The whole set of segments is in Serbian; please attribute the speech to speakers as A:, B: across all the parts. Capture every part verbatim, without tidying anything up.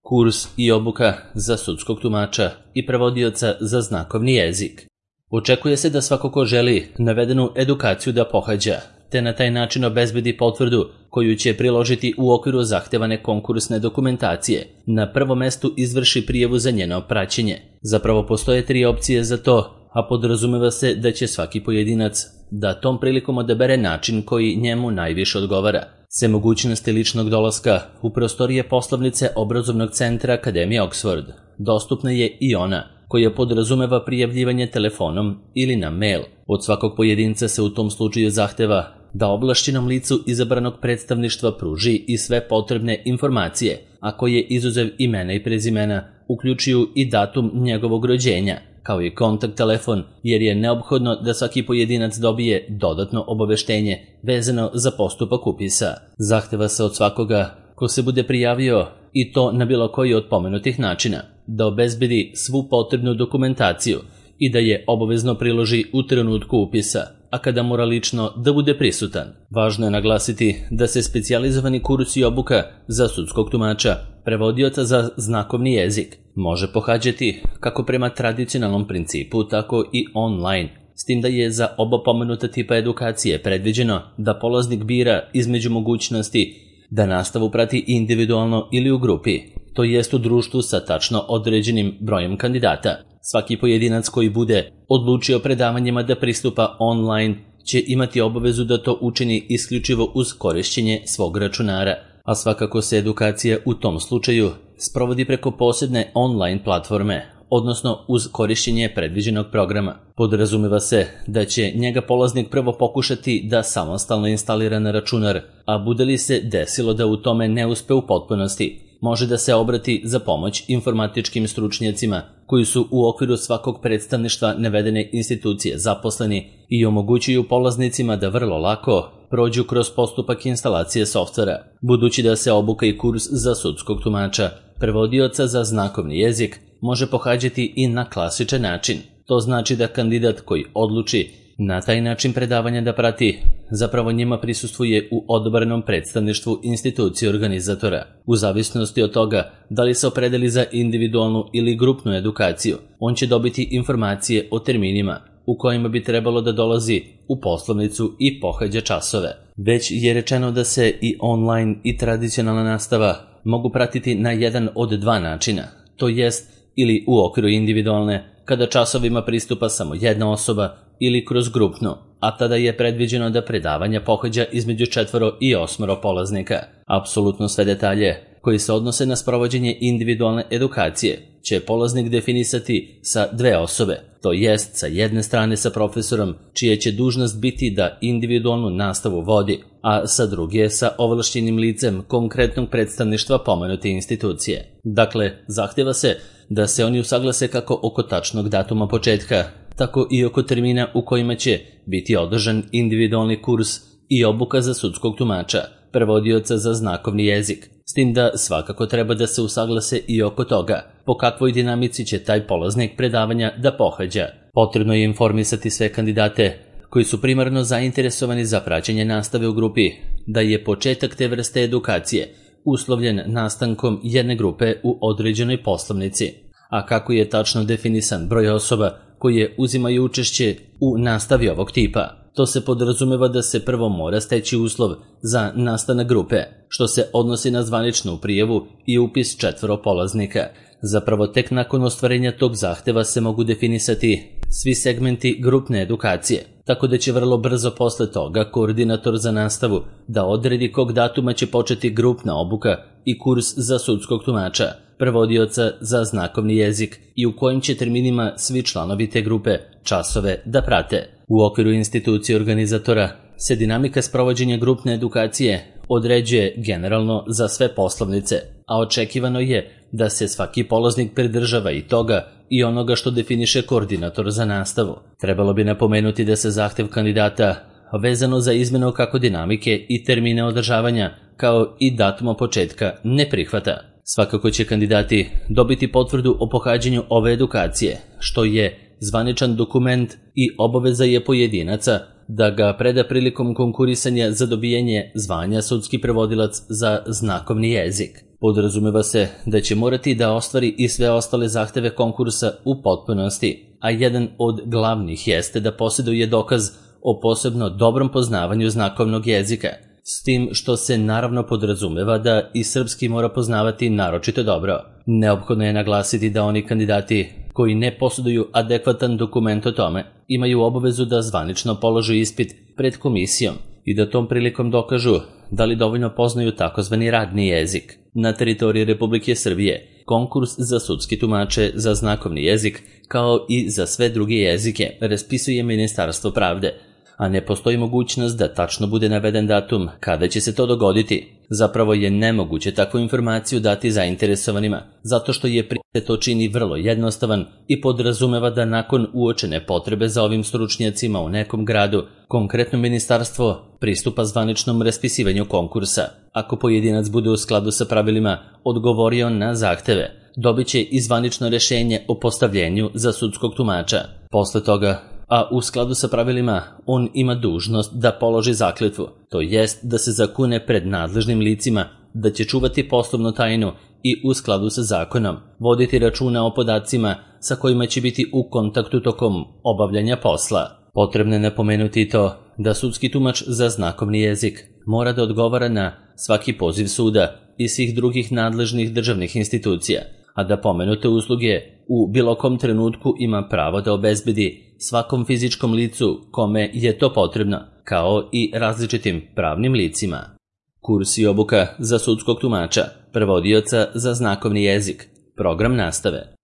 A: kurs i obuka za sudskog tumača i prevodioca za znakovni jezik. Očekuje se da svako ko želi navedenu edukaciju da pohađa, te na taj način obezbedi potvrdu koju će priložiti u okviru zahtevane konkursne dokumentacije, na prvom mestu izvrši prijavu za njeno praćenje. Zapravo postoje tri opcije za to, a podrazumeva se da će svaki pojedinac da tom prilikom odabere način koji njemu najviše odgovara. Sve mogućnosti ličnog dolaska u prostorije poslovnice obrazovnog centra Akademije Oxford dostupna je i ona koja podrazumeva prijavljivanje telefonom ili na mail. Od svakog pojedinca se u tom slučaju zahteva da ovlašćenom licu izabranog predstavništva pruži i sve potrebne informacije, a koje izuzev imena i prezimena uključuju i datum njegovog rođenja, kao i kontakt telefon, jer je neophodno da svaki pojedinac dobije dodatno obaveštenje vezano za postupak upisa. Zahteva se od svakoga ko se bude prijavio, i to na bilo koji od pomenutih načina, da obezbedi svu potrebnu dokumentaciju i da je obavezno priloži u trenutku upisa, a kada mora lično da bude prisutan. Važno je naglasiti da se specijalizovani kurs i obuka za sudskog tumača, prevodioca za znakovni jezik, može pohađati kako prema tradicionalnom principu, tako i online, s tim da je za oba pomenuta tipa edukacije predviđeno da polaznik bira između mogućnosti da nastavu prati individualno ili u grupi, to jest u društvu sa tačno određenim brojem kandidata. Svaki pojedinac koji bude odlučio predavanjima da pristupa online će imati obavezu da to učini isključivo uz korišćenje svog računara, a svakako se edukacija u tom slučaju sprovodi preko posebne online platforme, odnosno uz korišćenje predviđenog programa. Podrazumeva se da će njega polaznik prvo pokušati da samostalno instalira na računar, a bude li se desilo da u tome ne uspe u potpunosti, može da se obrati za pomoć informatičkim stručnjacima koji su u okviru svakog predstavništva navedene institucije zaposleni i omogućuju polaznicima da vrlo lako prođu kroz postupak instalacije softvera. Budući da se obuka i kurs za sudskog tumača, prevodioca za znakovni jezik, može pohađati i na klasičan način. To znači da kandidat koji odluči na taj način predavanja da prati, zapravo njima prisustvuje u odabranom predstavništvu institucije organizatora. U zavisnosti od toga da li se opredeli za individualnu ili grupnu edukaciju, on će dobiti informacije o terminima u kojima bi trebalo da dolazi u poslovnicu i pohađa časove. Već je rečeno da se i online i tradicionalna nastava mogu pratiti na jedan od dva načina, to jest ili u okviru individualne, kada časovima pristupa samo jedna osoba, ili kroz grupno, a tada je predviđeno da predavanja pohađa između četvoro i osmoro polaznika. Apsolutno sve detalje koji se odnose na sprovođenje individualne edukacije će polaznik definisati sa dve osobe, to jest sa jedne strane sa profesorom čija će dužnost biti da individualnu nastavu vodi, a sa druge sa ovlašćenim licem konkretnog predstavništva pomenute institucije. Dakle, zahteva se da se oni usaglase kako oko tačnog datuma početka, tako i oko termina u kojima će biti održan individualni kurs i obuka za sudskog tumača, prevodioca za znakovni jezik, s tim da svakako treba da se usaglase i oko toga po kakvoj dinamici će taj polaznik predavanja da pohađa. Potrebno je informisati sve kandidate koji su primarno zainteresovani za praćenje nastave u grupi da je početak te vrste edukacije uslovljen nastankom jedne grupe u određenoj poslovnici, a kako je tačno definisan broj osoba koje uzimaju učešće u nastavi ovog tipa. To se podrazumeva da se prvo mora steći uslov za nastanak grupe, što se odnosi na zvaničnu prijavu i upis četvoro polaznika. Zapravo tek nakon ostvarenja tog zahteva se mogu definisati svi segmenti grupne edukacije, tako da će vrlo brzo posle toga koordinator za nastavu da odredi kog datuma će početi grupna obuka i kurs za sudskog tumača, prevodioca za znakovni jezik i u kojim će terminima svi članovi te grupe časove da prate. U okviru institucije organizatora se dinamika sprovođenja grupne edukacije određuje generalno za sve poslovnice, a očekivano je da se svaki polaznik pridržava i toga i onoga što definiše koordinator za nastavu. Trebalo bi napomenuti da se zahtev kandidata vezano za izmenu kako dinamike i termine održavanja, kao i datuma početka, ne prihvata. Svakako će kandidati dobiti potvrdu o pohađanju ove edukacije, što je zvaničan dokument i obaveza je pojedinaca da ga preda prilikom konkurisanja za dobijanje zvanja sudski prevodilac za znakovni jezik. Podrazumeva se da će morati da ostvari i sve ostale zahteve konkursa u potpunosti, a jedan od glavnih jeste da posjeduje dokaz o posebno dobrom poznavanju znakovnog jezika, s tim što se naravno podrazumeva da i srpski mora poznavati naročito dobro. Neophodno je naglasiti da oni kandidati koji ne posjeduju adekvatan dokument o tome imaju obavezu da zvanično polože ispit pred komisijom i da tom prilikom dokažu da li dovoljno poznaju takozvani radni jezik. Na teritoriji Republike Srbije konkurs za sudski tumače za znakovni jezik kao i za sve druge jezike raspisuje Ministarstvo pravde, a ne postoji mogućnost da tačno bude naveden datum kada će se to dogoditi. Zapravo je nemoguće takvu informaciju dati zainteresovanima, zato što je prije to čini vrlo jednostavan i podrazumeva da nakon uočene potrebe za ovim stručnjacima u nekom gradu, konkretno ministarstvo pristupa zvaničnom raspisivanju konkursa. Ako pojedinac bude u skladu sa pravilima odgovorio na zahteve, dobit će i zvanično rešenje o postavljenju za sudskog tumača. Posle toga, a u skladu sa pravilima, on ima dužnost da položi zakletvu, to jest da se zakune pred nadležnim licima, da će čuvati poslovnu tajnu i u skladu sa zakonom voditi računa o podacima sa kojima će biti u kontaktu tokom obavljanja posla. Potrebno je napomenuti to da sudski tumač za znakovni jezik mora da odgovara na svaki poziv suda i svih drugih nadležnih državnih institucija, a da pomenute usluge u bilo kom trenutku ima pravo da obezbedi svakom fizičkom licu kome je to potrebno, kao i različitim pravnim licima. Kurs i obuka za sudskog tumača, prevodioca za znakovni jezik, program nastave.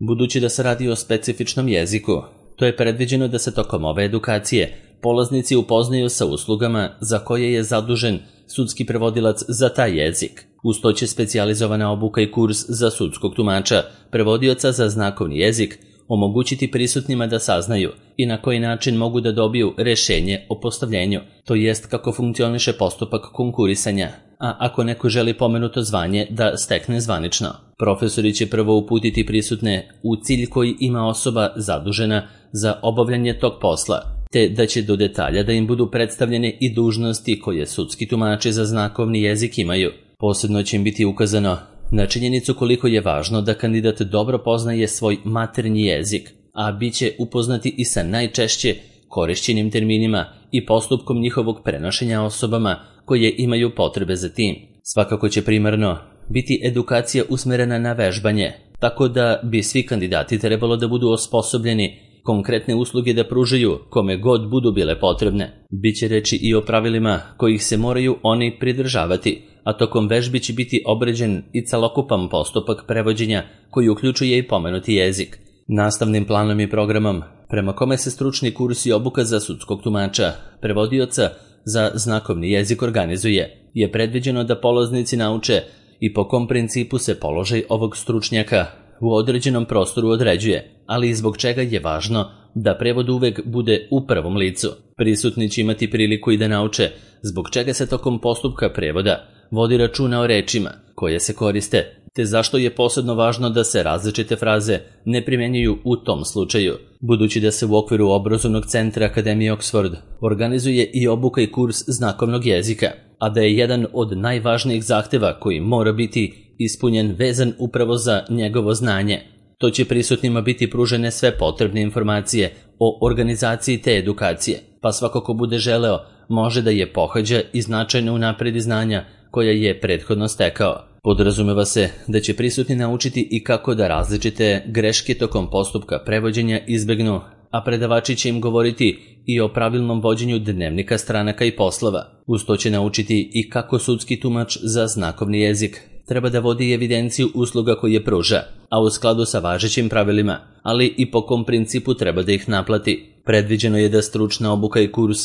A: Budući da se radi o specifičnom jeziku, to je predviđeno da se tokom ove edukacije polaznici upoznaju sa uslugama za koje je zadužen sudski prevodilac za taj jezik. Uz to će specijalizovana obuka i kurs za sudskog tumača, prevodioca za znakovni jezik, omogućiti prisutnima da saznaju i na koji način mogu da dobiju rešenje o postavljenju, to jest kako funkcioniše postupak konkurisanja, a ako neko želi pomenuto zvanje da stekne zvanično. Profesori će prvo uputiti prisutne u cilj koji ima osoba zadužena za obavljanje tog posla, te da će do detalja da im budu predstavljene i dužnosti koje sudski tumači za znakovni jezik imaju. Posebno će im biti ukazano na činjenicu koliko je važno da kandidat dobro poznaje svoj maternji jezik, a bit će upoznati i sa najčešće korišćenim terminima i postupkom njihovog prenošenja osobama koje imaju potrebe za tim. Svakako će primarno biti edukacija usmerena na vežbanje, tako da bi svi kandidati trebalo da budu osposobljeni konkretne usluge da pružaju kome god budu bile potrebne. Biće reči i o pravilima kojih se moraju oni pridržavati, a tokom vežbi će biti obrađen i celokupan postupak prevođenja koji uključuje i pomenuti jezik. Nastavnim planom i programom, prema kome se stručni kurs i obuka za sudskog tumača, prevodioca za znakovni jezik organizuje, je predviđeno da polaznici nauče i po kom principu se položaj ovog stručnjaka u određenom prostoru određuje, ali i zbog čega je važno da prevod uvek bude u prvom licu. Prisutni će imati priliku i da nauče zbog čega se tokom postupka prevoda vodi računa o rečima koje se koriste, te zašto je posebno važno da se različite fraze ne primjenjuju u tom slučaju. Budući da se u okviru obrazovnog centra Akademije Oxford organizuje i obuka i kurs znakovnog jezika, a da je jedan od najvažnijih zahteva koji mora biti ispunjen vezan upravo za njegovo znanje. To će prisutnima biti pružene sve potrebne informacije o organizaciji te edukacije, pa svako ko bude želeo može da je pohađa i značajno unapredi znanja koja je prethodno stekao. Podrazumeva se da će prisutni naučiti i kako da različite greške tokom postupka prevođenja izbegnu, a predavači će im govoriti i o pravilnom vođenju dnevnika stranaka i poslova. Uz to će naučiti i kako sudski tumač za znakovni jezik treba da vodi evidenciju usluga koje pruža, a u skladu sa važećim pravilima, ali i po kom principu treba da ih naplati. Predviđeno je da stručna obuka i kurs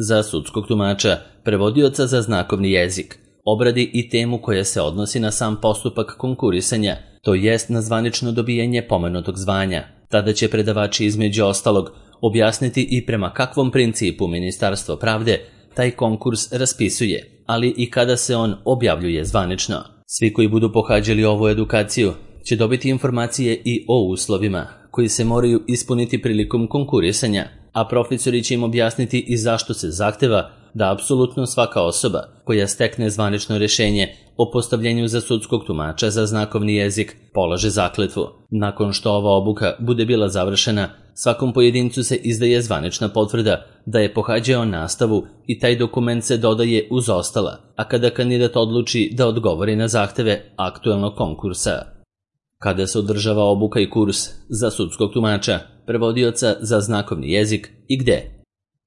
A: za sudskog tumača, prevodioca za znakovni jezik, obradi i temu koja se odnosi na sam postupak konkurisanja, to jest na zvanično dobijanje pomenutog zvanja. Tada će predavači između ostalog objasniti i prema kakvom principu Ministarstvo pravde taj konkurs raspisuje, ali i kada se on objavljuje zvanično. Svi koji budu pohađali ovu edukaciju će dobiti informacije i o uslovima koji se moraju ispuniti prilikom konkurisanja, a profesori će im objasniti i zašto se zahteva da apsolutno svaka osoba koja stekne zvanično rješenje o postavljenju za sudskog tumača za znakovni jezik polaže zakletvu. Nakon što ova obuka bude bila završena, svakom pojedincu se izdaje zvanična potvrda da je pohađao nastavu i taj dokument se dodaje uz ostala, a kada kandidat odluči da odgovori na zahteve aktuelnog konkursa. Kada se održava obuka i kurs za sudskog tumača, prevodioca za znakovni jezik i gde?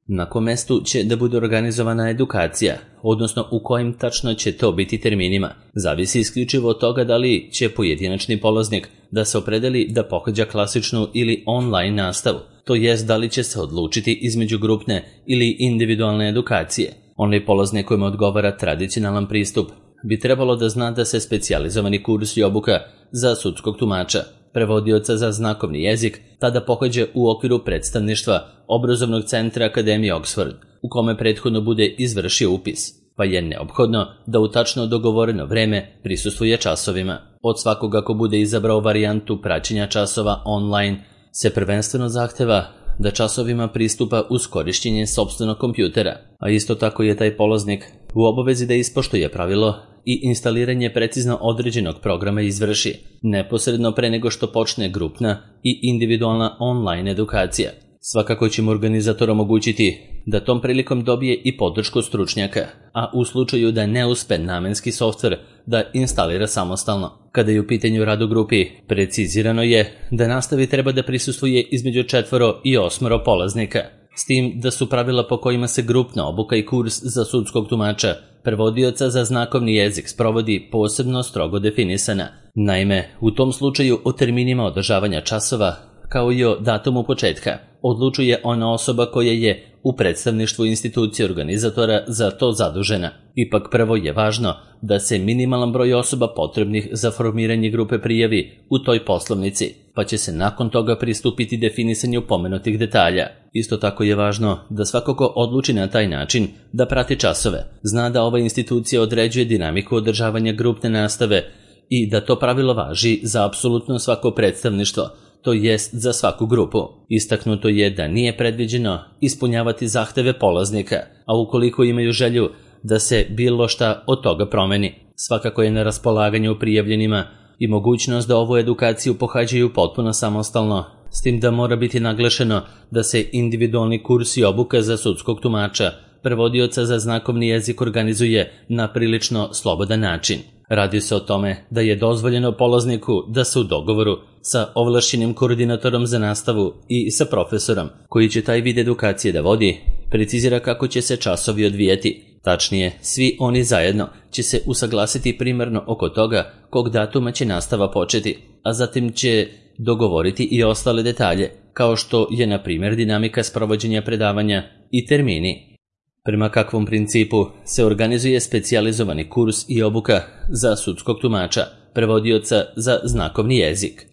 A: Na kom mestu će da bude organizovana edukacija, odnosno u kojim tačno će to biti terminima, zavisi isključivo od toga da li će pojedinačni polaznik da se opredeli da pohađa klasičnu ili online nastavu, to jest da li će se odlučiti između grupne ili individualne edukacije. Onaj polaznik kojima odgovara tradicionalan pristup bi trebalo da zna da se specijalizovani kurs i obuka za sudskog tumača, prevodioca za znakovni jezik, tada pohađa u okviru predstavništva obrazovnog centra Akademije Oxford, u kome prethodno bude izvršio upis, pa je neophodno da u tačno dogovoreno vreme prisustvuje časovima. Od svakoga ko bude izabrao varijantu praćenja časova online se prvenstveno zahteva da časovima pristupa uz korišćenje sopstvenog kompjutera, a isto tako je taj polaznik u obavezi da ispoštuje pravilo i instaliranje precizno određenog programa izvrši, neposredno pre nego što počne grupna i individualna online edukacija. Svakako će mu organizator omogućiti da tom prilikom dobije i podršku stručnjaka, a u slučaju da ne uspe namenski softver da instalira samostalno. Kada je u pitanju rad u grupi, precizirano je da nastavi treba da prisustvuje između četvoro i osmoro polaznika, s tim da su pravila po kojima se grupna obuka i kurs za sudskog tumača prevodioca za znakovni jezik sprovodi posebno strogo definisana. Naime, u tom slučaju o terminima održavanja časova, kao i o datumu početka, odlučuje ona osoba koja je u predstavništvu institucije organizatora za to zadužena. Ipak prvo je važno da se minimalan broj osoba potrebnih za formiranje grupe prijavi u toj poslovnici, pa će se nakon toga pristupiti definisanju pomenutih detalja. Isto tako je važno da svako ko odluči na taj način da prati časove, zna da ova institucija određuje dinamiku održavanja grupne nastave i da to pravilo važi za apsolutno svako predstavništvo, to jest za svaku grupu. Istaknuto je da nije predviđeno ispunjavati zahteve polaznika, a ukoliko imaju želju da se bilo šta od toga promeni, svakako je na raspolaganju prijavljenima i mogućnost da ovu edukaciju pohađaju potpuno samostalno, s tim da mora biti naglašeno da se individualni kurs i obuka za sudskog tumača, prevodioca za znakovni jezik organizuje na prilično slobodan način. Radi se o tome da je dozvoljeno polazniku da se u dogovoru sa ovlašćenim koordinatorom za nastavu i sa profesorom koji će taj vid edukacije da vodi, precizira kako će se časovi odvijati. Tačnije, svi oni zajedno će se usaglasiti primarno oko toga kog datuma će nastava početi, a zatim će dogovoriti i ostale detalje, kao što je na primjer dinamika sprovođenja predavanja i termini. Prema kakvom principu se organizuje specijalizovani kurs i obuka za sudskog tumača, prevodioca za znakovni jezik.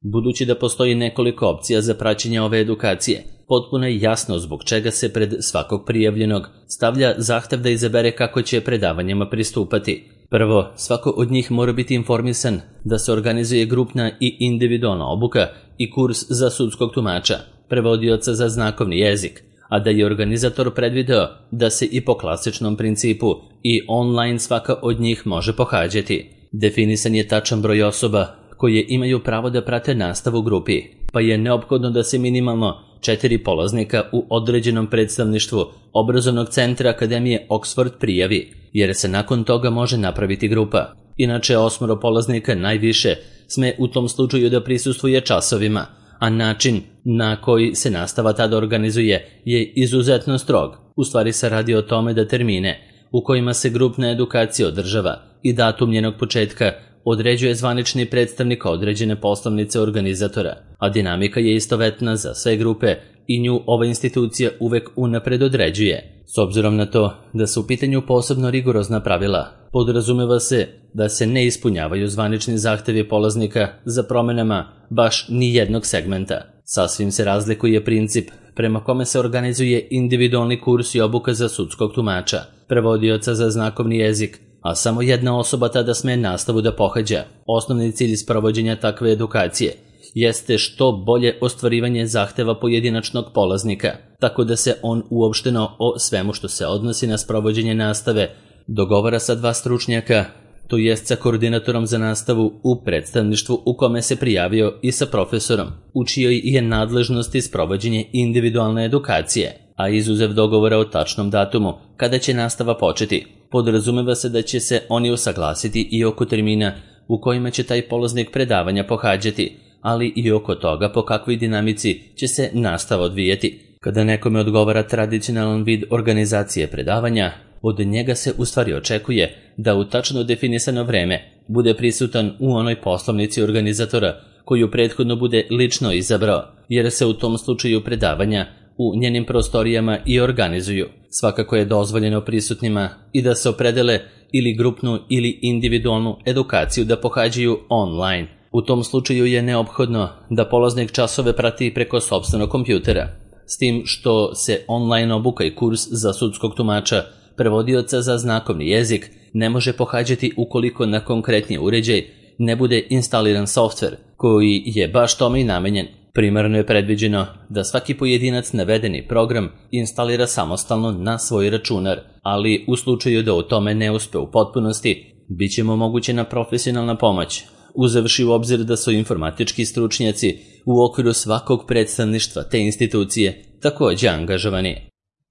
A: Budući da postoji nekoliko opcija za praćenje ove edukacije, potpuno je jasno zbog čega se pred svakog prijavljenog stavlja zahtev da izabere kako će predavanjima pristupati. Prvo, svako od njih mora biti informisan da se organizuje grupna i individualna obuka i kurs za sudskog tumača, prevodioca za znakovni jezik, a da je organizator predvideo da se i po klasičnom principu i online svaka od njih može pohađati. Definisan je tačan broj osoba koje imaju pravo da prate nastavu u grupi, pa je neophodno da se minimalno četiri polaznika u određenom predstavništvu obrazovnog centra Akademije Oxford prijavi, jer se nakon toga može napraviti grupa. Inače, osmoro polaznika najviše sme u tom slučaju da prisustvuje časovima, a način na koji se nastava tada organizuje je izuzetno strog. U stvari se radi o tome da termine u kojima se grupna edukacija održava i datum njenog početka određuje zvanični predstavnik određene poslovnice organizatora, a dinamika je istovetna za sve grupe i nju ova institucija uvek unapred određuje. S obzirom na to da su u pitanju posebno rigorozna pravila, podrazumeva se da se ne ispunjavaju zvanični zahtevi polaznika za promenama baš ni jednog segmenta. Sasvim se razlikuje princip prema kome se organizuje individualni kurs i obuka za sudskog tumača, prevodioca za znakovni jezik, a samo jedna osoba tada sme nastavu da pohađa. Osnovni cilj sprovođenja takve edukacije jeste što bolje ostvarivanje zahteva pojedinačnog polaznika, tako da se on uopšteno o svemu što se odnosi na sprovođenje nastave dogovara sa dva stručnjaka, to jest sa koordinatorom za nastavu u predstavništvu u kome se prijavio i sa profesorom, u čijoj je nadležnosti sprovođenje individualne edukacije, a izuzev dogovora o tačnom datumu kada će nastava početi, podrazumeva se da će se oni usaglasiti i oko termina u kojima će taj polaznik predavanja pohađati, ali i oko toga po kakvoj dinamici će se nastava odvijeti. Kada nekome odgovara tradicionalan vid organizacije predavanja, od njega se u stvari očekuje da u tačno definisano vreme bude prisutan u onoj poslovnici organizatora koju prethodno bude lično izabrao, jer se u tom slučaju predavanja u njenim prostorijama i organizuju. Svakako je dozvoljeno prisutnima i da se opredele ili grupnu ili individualnu edukaciju da pohađaju online. U tom slučaju je neophodno da polaznik časove prati preko sopstvenog kompjutera, s tim što se online obuka i kurs za sudskog tumača, prevodioca za znakovni jezik, ne može pohađati ukoliko na konkretni uređaj ne bude instaliran softver koji je baš tome i namenjen. Primarno je predviđeno da svaki pojedinac navedeni program instalira samostalno na svoj računar, ali u slučaju da u tome ne uspe u potpunosti, bit će mu omogućena profesionalna pomoć, uzevši u obzir da su informatički stručnjaci u okviru svakog predstavništva te institucije takođe angažovani.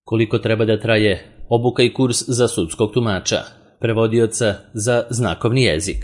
A: Koliko treba da traje obuka i kurs za sudskog tumača, prevodioca za znakovni jezik?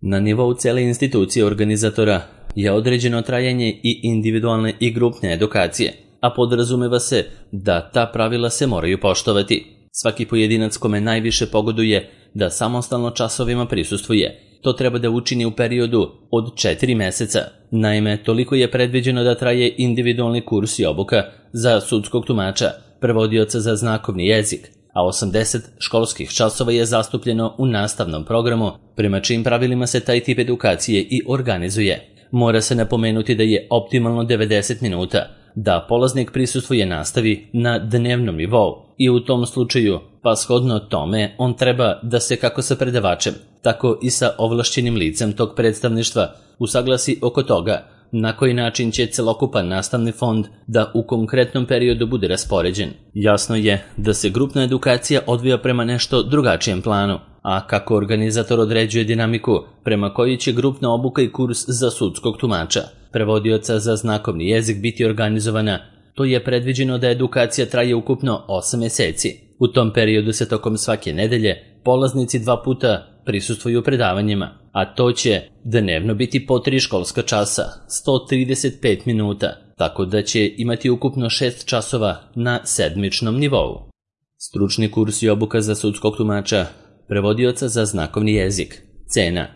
A: Na nivou cele institucije organizatora je određeno trajanje i individualne i grupne edukacije, a podrazumeva se da ta pravila se moraju poštovati. Svaki pojedinac kome najviše pogoduje da samostalno časovima prisustvuje, to treba da učini u periodu od četiri meseca. Naime, toliko je predviđeno da traje individualni kurs i obuka za sudskog tumača, prevodioca za znakovni jezik, a osamdeset školskih časova je zastupljeno u nastavnom programu, prema čijim pravilima se taj tip edukacije i organizuje. Mora se napomenuti da je optimalno devedeset minuta, da polaznik prisustvuje nastavi na dnevnom nivou i u tom slučaju, pa shodno tome, on treba da se kako sa predavačem, tako i sa ovlašćenim licem tog predstavništva usaglasi oko toga na koji način će celokupan nastavni fond da u konkretnom periodu bude raspoređen. Jasno je da se grupna edukacija odvija prema nešto drugačijem planu, a kako organizator određuje dinamiku prema kojoj će grupna obuka i kurs za sudskog tumača, prevodioca za znakovni jezik biti organizovana, to je predviđeno da edukacija traje ukupno osam meseci. U tom periodu se tokom svake nedelje polaznici dva puta prisustvuju predavanjima, a to će dnevno biti po tri školska časa, sto trideset pet minuta, tako da će imati ukupno šest časova na sedmičnom nivou. Stručni kurs i obuka za sudskog tumača, prevodioca za znakovni jezik. Cena.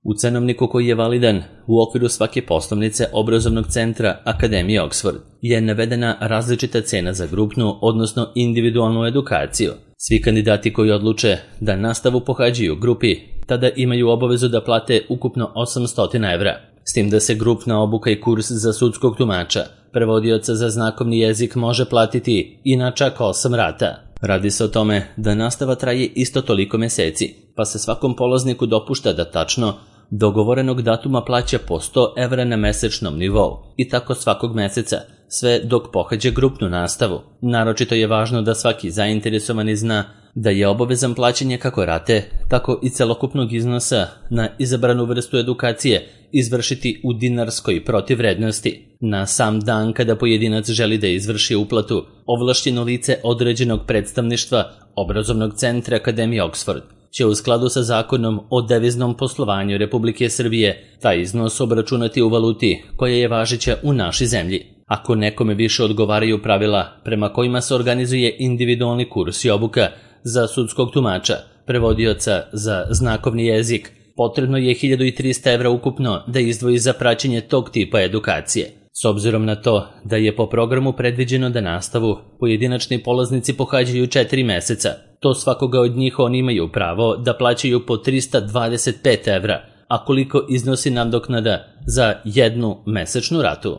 A: U cenovniku koji je validan u okviru svake poslovnice obrazovnog centra Akademije Oxford je navedena različita cena za grupnu, odnosno individualnu edukaciju. Svi kandidati koji odluče da nastavu pohađaju u grupi, tada imaju obavezu da plate ukupno osamsto evra, s tim da se grupna obuka i kurs za sudskog tumača, prevodioca za znakovni jezik može platiti i na čak osam rata. Radi se o tome da nastava traje isto toliko meseci, pa se svakom polazniku dopušta da tačno dogovorenog datuma plaća po sto evra na mesečnom nivou i tako svakog meseca, sve dok pohađa grupnu nastavu. Naročito je važno da svaki zainteresovani zna da je obavezan plaćanje kako rate, tako i celokupnog iznosa na izabranu vrstu edukacije izvršiti u dinarskoj protivvrednosti. Na sam dan kada pojedinac želi da izvrši uplatu, ovlašćeno lice određenog predstavništva obrazovnog centra Akademije Oxford će u skladu sa zakonom o deviznom poslovanju Republike Srbije taj iznos obračunati u valuti koja je važeća u našoj zemlji. Ako nekome više odgovaraju pravila prema kojima se organizuje individualni kurs i obuka za sudskog tumača, prevodioca za znakovni jezik, potrebno je hiljadu trista evra ukupno da izdvoji za praćenje tog tipa edukacije. S obzirom na to da je po programu predviđeno da nastavu pojedinačni polaznici pohađaju četiri meseca, to svakoga od njih oni imaju pravo da plaćaju po trista dvadeset pet evra, a koliko iznosi nadoknada za jednu mesečnu ratu.